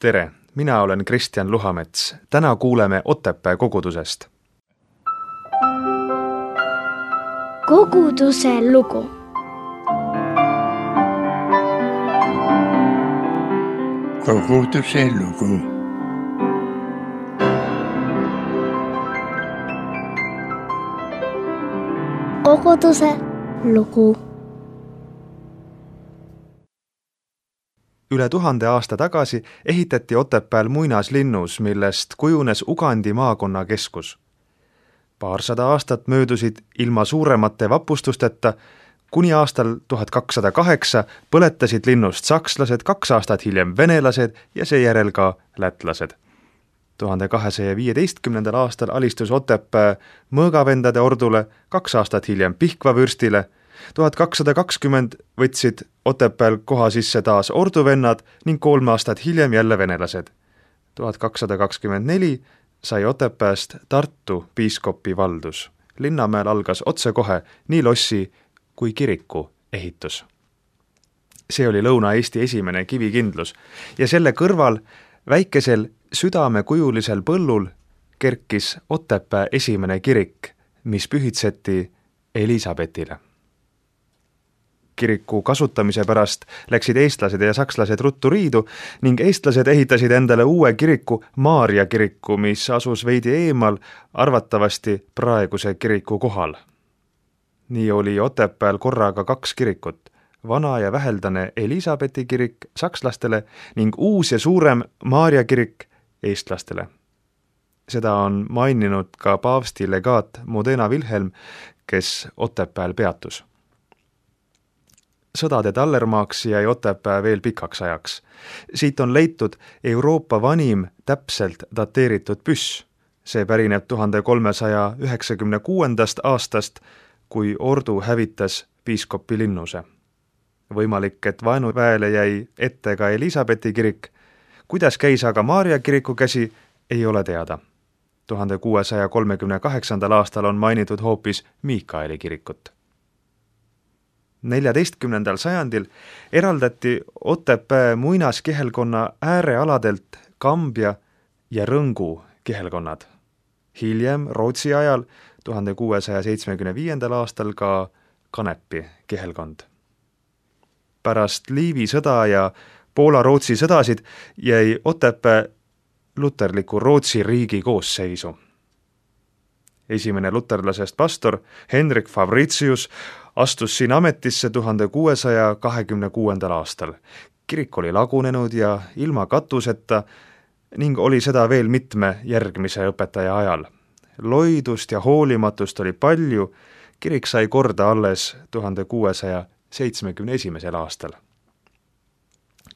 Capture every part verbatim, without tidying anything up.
Tere, mina olen Kristjan Luhamets. Täna kuuleme Otepää kogudusest. Koguduse lugu. Koguduse lugu. Koguduse lugu. Üle tuhande aasta tagasi ehitati Otepääl muinaslinnus, millest kujunes Ugandi maakonna keskus. Paarsada aastat möödusid ilma suuremate vapustusteta, kuni aastal tuhat kakssada kaheksa põletasid linnust sakslased, kaks aastat hiljem venelased ja seejärel ka lätlased. tuhande kahesaja viieteistkümnendal aastal alistus Otepää mõõgavendade ordule, kaks aastat hiljem Pihkva vürstile, tuhat kakssada kakskümmend võtsid Otepääl koha sisse taas orduvennad ning kolm aastat hiljem jälle venelased. tuhat kakssada kakskümmend neli sai Otepääst Tartu piiskopi valdus. Linnamäel algas otsekohe nii lossi kui kiriku ehitus. See oli Lõuna-Eesti esimene kivikindlus ja selle kõrval väikesel südamekujulisel põllul kerkis Otepää esimene kirik, mis pühitseti Elisabetile. Kiriku kasutamise pärast läksid eestlased ja sakslased ruttu riidu ning eestlased ehitasid endale uue kiriku, Maarja kiriku, mis asus veidi eemal, arvatavasti praeguse kiriku kohal. Nii oli Otepääl korraga kaks kirikut, vana ja väheldane Elisabeti kirik sakslastele ning uus ja suurem Maarja kirik eestlastele. Seda on maininud ka paavsti legaat Modena Wilhelm, kes Otepääl peatus. Sõdade tallermaaks jäi Otepää veel pikaks ajaks. Siit on leitud Euroopa vanim täpselt dateeritud püss. See pärineb tuhande kolmesaja üheksakümne kuuendast aastast, kui ordu hävitas piiskopi linnuse. Võimalik, et vaenuväele jäi ette ka Elisabeti kirik. Kuidas käis aga Maarja kiriku käsi, ei ole teada. tuhande kuuesaja kolmekümne kaheksandal aastal on mainitud hoopis Miikaeli kirikut. neljateistkümnendal sajandil eraldati Otepää muinaskihelkonna äärealadelt Kambja ja Rõngu kihelkonnad. Hiljem Rootsi ajal tuhande kuuesaja seitsmekümne viiendal aastal ka Kanepi kihelkond. Pärast Liivi sõda ja Poola-Rootsi sõdasid jäi Otepää luterliku Rootsi riigi koosseisu. Esimene luterlasest pastor Henrik Fabricius astus siin ametisse tuhande kuuesaja kahekümne kuuendal aastal. Kirik oli lagunenud ja ilma katuseta ning oli seda veel mitme järgmise õpetaja ajal. Loidust ja hoolimatust oli palju, kirik sai korda alles tuhande kuuesaja seitsmekümne esimesel aastal.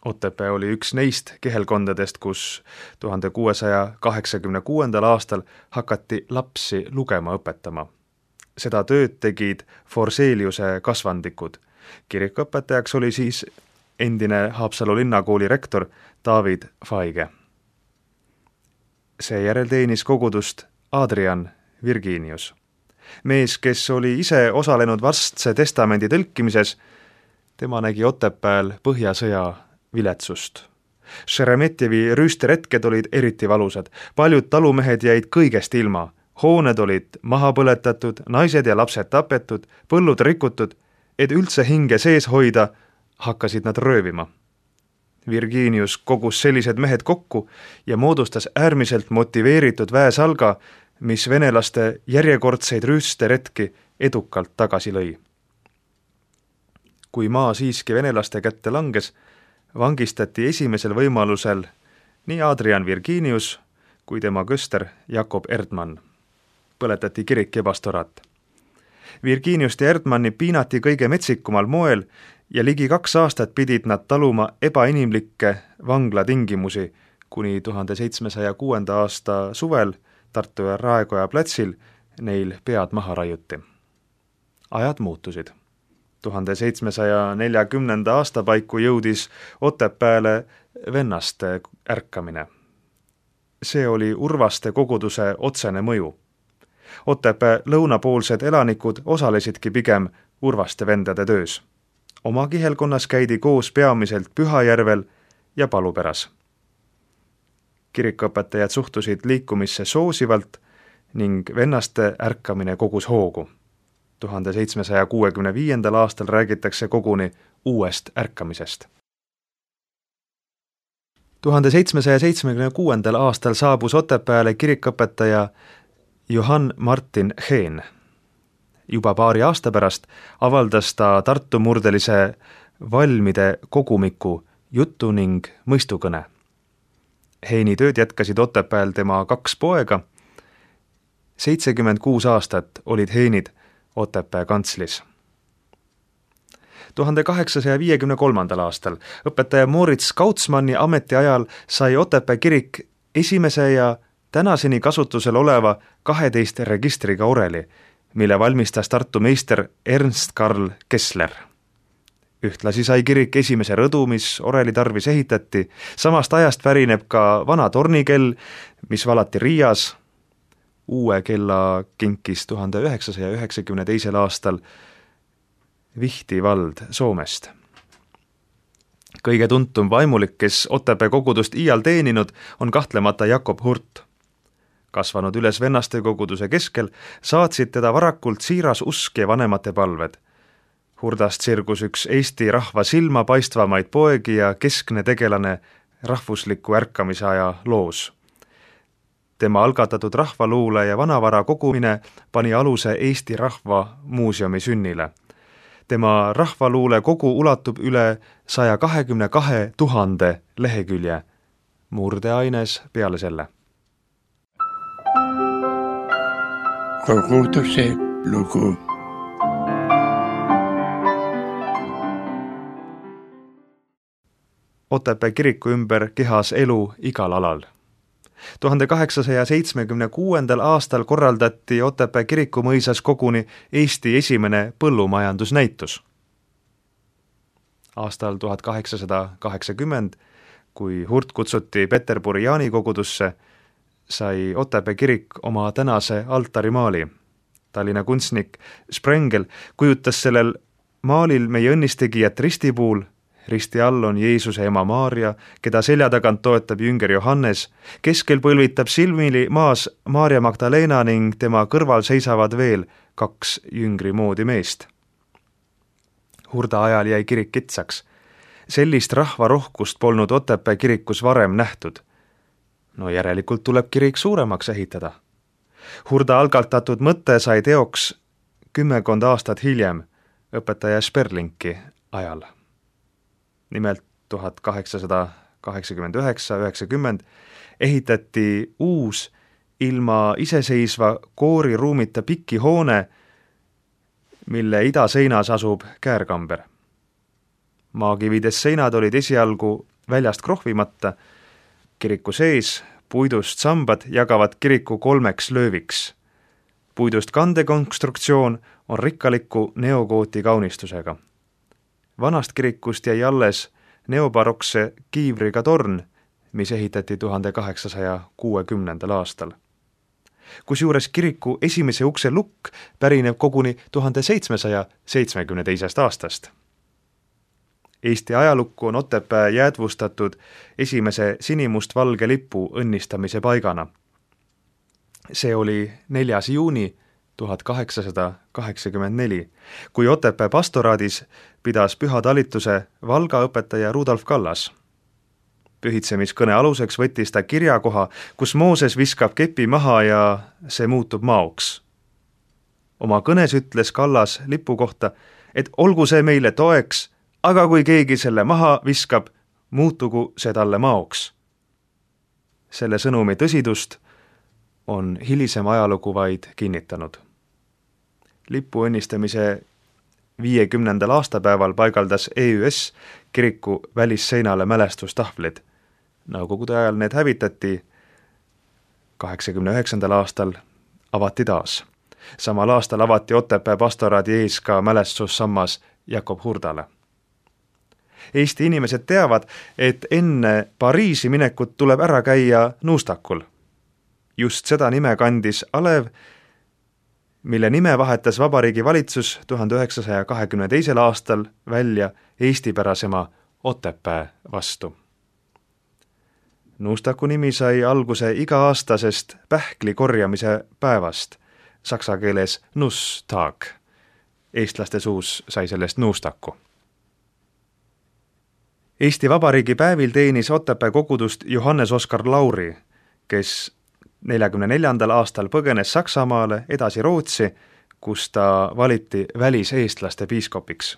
Otepää oli üks neist kihelkondadest, kus tuhande kuuesaja kaheksakümne kuuendal aastal hakati lapsi lugema õpetama. Seda tööd tegid Forseliuse kasvandikud. Kirikuõpetajaks oli siis endine Haapsalu linnakooli rektor David Faige. Seejärel teenis kogudust Adrian Virginius. Mees, kes oli ise osalenud Vastse testamendi tõlkimises, tema nägi Otepääl põhjasõja viletsust. Šeremetjevi rüüsteretked olid eriti valusad. Paljud talumehed jäid kõigest ilma. Hooned olid maha põletatud, naised ja lapsed tapetud, põllud rikutud, et üldse hinge sees hoida, hakkasid nad röövima. Virginius kogus sellised mehed kokku ja moodustas äärmiselt motiveeritud väesalga, mis venelaste järjekordseid rüüsteretki edukalt tagasi lõi. Kui maa siiski venelaste kätte langes, vangistati esimesel võimalusel nii Adrian Virginius kui tema köster Jakob Erdmann. Põletati kirik ja pastorat. Virginiust ja Erdmanni piinati kõige metsikumal moel ja ligi kaks aastat pidid nad taluma ebainimlikke vanglatingimusi, kuni tuhande seitsmesaja kuuenda aasta suvel Tartu ja Raekoja platsil neil pead maha raiuti. Ajad muutusid. tuhande seitsmesaja neljakümnenda aasta paiku jõudis Otepääle vennaste ärkamine. See oli Urvaste koguduse otsene mõju. Otepää lõunapoolsed elanikud osalesidki pigem Urvaste vendade töös. Oma kihelkonnas käidi koos peamiselt Pühajärvel ja Paluperas. Kirikuõpetajad suhtusid liikumisse soosivalt ning vennaste ärkamine kogus hoogu. tuhande seitsmesaja kuuekümne viiendal aastal räägitakse koguni uuest ärkamisest. tuhande seitsmesaja seitsmekümne kuuendal aastal saabus Otepääle kirikuõpetaja Johann Martin Hehn. Juba paari aasta pärast avaldas ta Tartu murdelise valmide kogumiku Jutu ning mõistukõne. Heini tööd jätkasid Otepääl tema kaks poega. seitsekümmend kuus aastat olid Heinid Otepää kantslis. tuhande kaheksasaja viiekümne kolmandal aastal õpetaja Moritz Kautsmanni ametiajal sai Otepää kirik esimese ja tänaseni kasutusel oleva kaheteist registriga oreli, mille valmistas Tartu meister Ernst Karl Kessler. Ühtlasi sai kirik esimese rõdu, mis oreli tarvis ehitati. Samast ajast pärineb ka vana tornikell, mis valati Riias. Uue kella kinkis tuhande üheksasaja üheksakümne teisel aastal Vihti vald Soomest. Kõige tuntum vaimulik, kes Otepää kogudust iial teeninud, on kahtlemata Jakob Hurt. Kasvanud üles vennaste koguduse keskel, saatsid teda varakult siiras usk ja vanemate palved. Hurdast sirgus üks Eesti rahva silma paistvamaid poegi ja keskne tegelane rahvusliku ärkamise aja loos. Tema algatatud rahvaluule ja vanavara kogumine pani aluse Eesti Rahva Muuseumi sünnile. Tema rahvaluule kogu ulatub üle saja kahekümne kahe tuhande lehekülje, murdeaines peale selle. Koguduse lugu. Otepää kiriku ümber kehas elu igal alal. tuhande kaheksasaja seitsmekümne kuuendal aastal korraldati Otepää kiriku mõisas koguni Eesti esimene põllumajandusnäitus. Aastal tuhat kaheksasada kaheksakümmend, kui Hurt kutsuti Peterburi Jaani kogudusse, sai Otepää kirik oma tänase altarimaali. Tallinna kunstnik Sprengel kujutas sellel maalil meie õnnistegijat ristipuul. Risti all on Jeesuse ema Maarja, keda selja tagant toetab jünger Johannes. Keskel põlvitab silmili maas Maarja Magdalena ning tema kõrval seisavad veel kaks jüngri moodi meest. Hurda ajal jäi kirik kitsaks. Sellist rahvarohkust polnud Otepää kirikus varem nähtud. No järelikult tuleb kirik suuremaks ehitada. Hurda algatatud mõte sai teoks kümmekond aastat hiljem õpetaja Sperlinki ajal. Nimelt tuhat kaheksasada kaheksakümmend üheksa üheksakümmend ehitati uus ilma iseseisva kooriruumita pikki hoone, mille idaseinas asub käärkamber. Maakivides seinad olid esialgu väljast krohvimata. Kiriku sees puidust sambad jagavad kiriku kolmeks lööviks. Puidust kandekonstruktsioon on rikkaliku neogooti kaunistusega. Vanast kirikust jäi alles neobarokse kiivriga torn, mis ehitati tuhande kaheksasaja kuuekümnendal aastal. Kusjuures kiriku esimese ukse lukk pärineb koguni tuhande seitsmesaja seitsmekümne teisest aastast. Eesti ajalukku on Otepää jäädvustatud esimese sinimustvalge lipu õnnistamise paigana. See oli neljas juuni tuhat kaheksasada kaheksakümmend neli, kui Otepää pastoraadis pidas püha talituse Valga õpetaja Rudolf Kallas. Pühitsemiskõne aluseks võttis ta kirjakoha, kus Mooses viskab kepi maha ja see muutub maoks. Oma kõnes ütles Kallas lipu kohta, et olgu see meile toeks, aga kui keegi selle maha viskab, muutugu see talle maoks. Selle sõnumi tõsidust on hilisem ajalugu vaid kinnitanud. Lipu õnnistamise viiekümnendal aastapäeval paigaldas E Ü S kiriku välisseinale mälestustahvlid. Nõukogude ajal need hävitati. kaheksakümne üheksandal aastal avati taas. Samal aastal avati Otepää pastoraadi ees ka mälestussammas Jakob Hurdale. Eesti inimesed teavad, et enne Pariisi minekut tuleb ära käia Nuustakul. Just seda nime kandis alev, mille nime vahetas Vabariigi valitsus tuhande üheksasaja kahekümne teisel aastal välja eestipärasema Otepää vastu. Nuustaku nimi sai alguse iga-aastasest pähkli korjamise päevast, saksa keeles Nusstag. Eestlaste suus sai sellest nuustaku. Eesti Vabariigi päevil teenis Otepää kogudust Johannes Oskar Lauri, kes neljakümne neljandal aastal põgenes Saksamaale, edasi Rootsi, kus ta valiti väliseestlaste piiskopiks.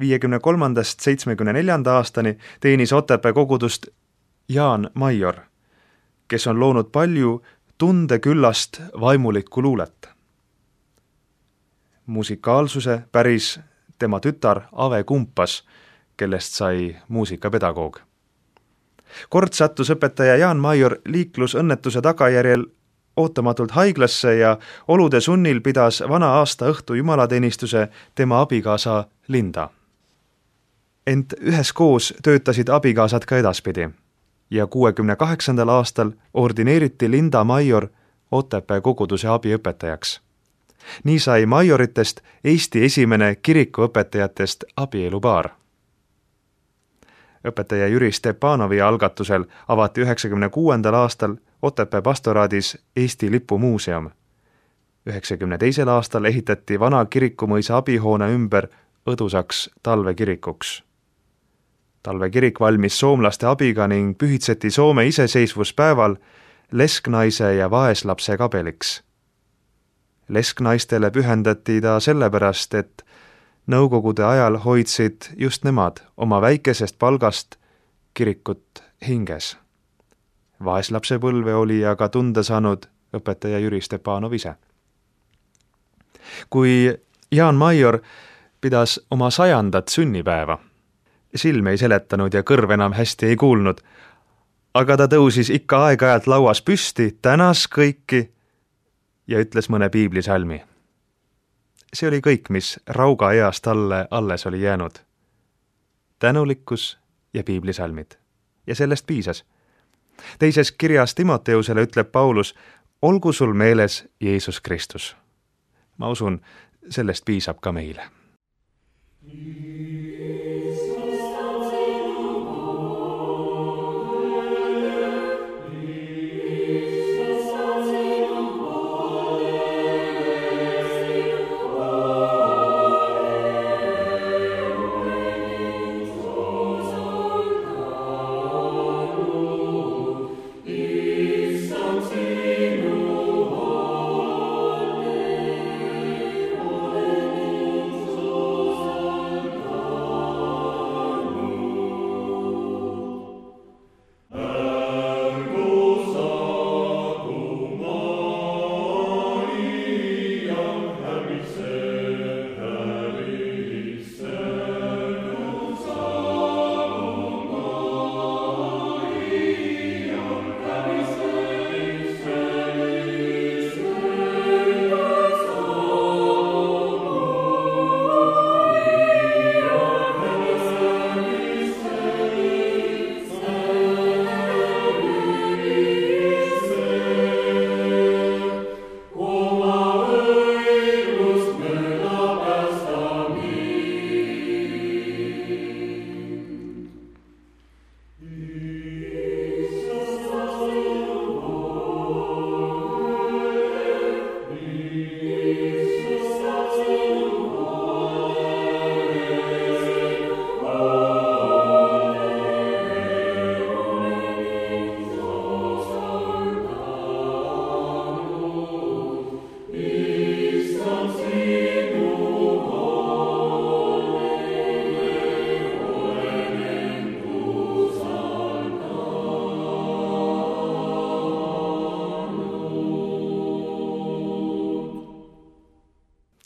viiekümne kolmandast seitsmekümne neljanda aastani teenis Otepää kogudust Jaan Maior, kes on loonud palju tundeküllast vaimulikku luulet. Musikaalsuse päris tema tütar Ave Kumpas, kellest sai muusikapedagoog. Kord sattus õpetaja Jaan Maior liiklusõnnetuse tagajärjel ootamatult haiglasse ja olude sunnil pidas vana aasta õhtu jumalateenistuse tema abikaasa Linda. Ent üheskoos töötasid abikaasad ka edaspidi ja kuuekümne kaheksandal aastal ordineeriti Linda Maior Otepää koguduse abiõpetajaks. Nii sai Maioritest Eesti esimene kirikuõpetajatest abielupaar. Õpetaja Jüri Stepanovi algatusel avati üheksakümne kuuendal aastal Otepää pastoraadis Eesti lipumuuseum. üheksakümne teisel aastal ehitati vana kirikumõisa abihoone ümber õdusaks talvekirikuks. Talvekirik valmis soomlaste abiga ning pühitseti Soome iseseisvuspäeval lesknaise ja vaeslapse kabeliks. Lesknaistele pühendati ta sellepärast, et nõukogude ajal hoidsid just nemad oma väikesest palgast kirikut hinges. Vaeslapse põlve oli aga tunda saanud õpetaja Jüri Stepanov ise. Kui Jaan Maior pidas oma sajandat sünnipäeva, silm ei seletanud ja kõrv enam hästi ei kuulnud, aga ta tõusis ikka aeg-ajalt lauas püsti, tänas kõiki ja ütles mõne piiblisalmi. See oli kõik, mis rauga east talle alles oli jäänud. Tänulikkus ja piiblisalmid. Ja sellest piisas. Teises kirjas Timoteusele ütleb Paulus, olgu sul meeles Jeesus Kristus. Ma usun, sellest piisab ka meile.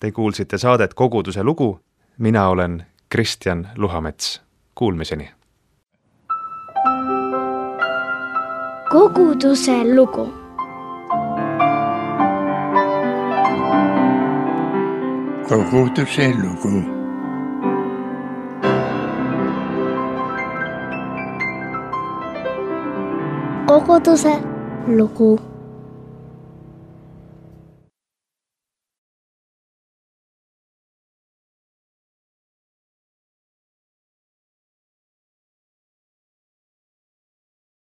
Te kuulsite saadet Koguduse lugu, mina olen Kristjan Luhamets. Kuulmiseni! Koguduse lugu. Koguduse lugu. Koguduse lugu.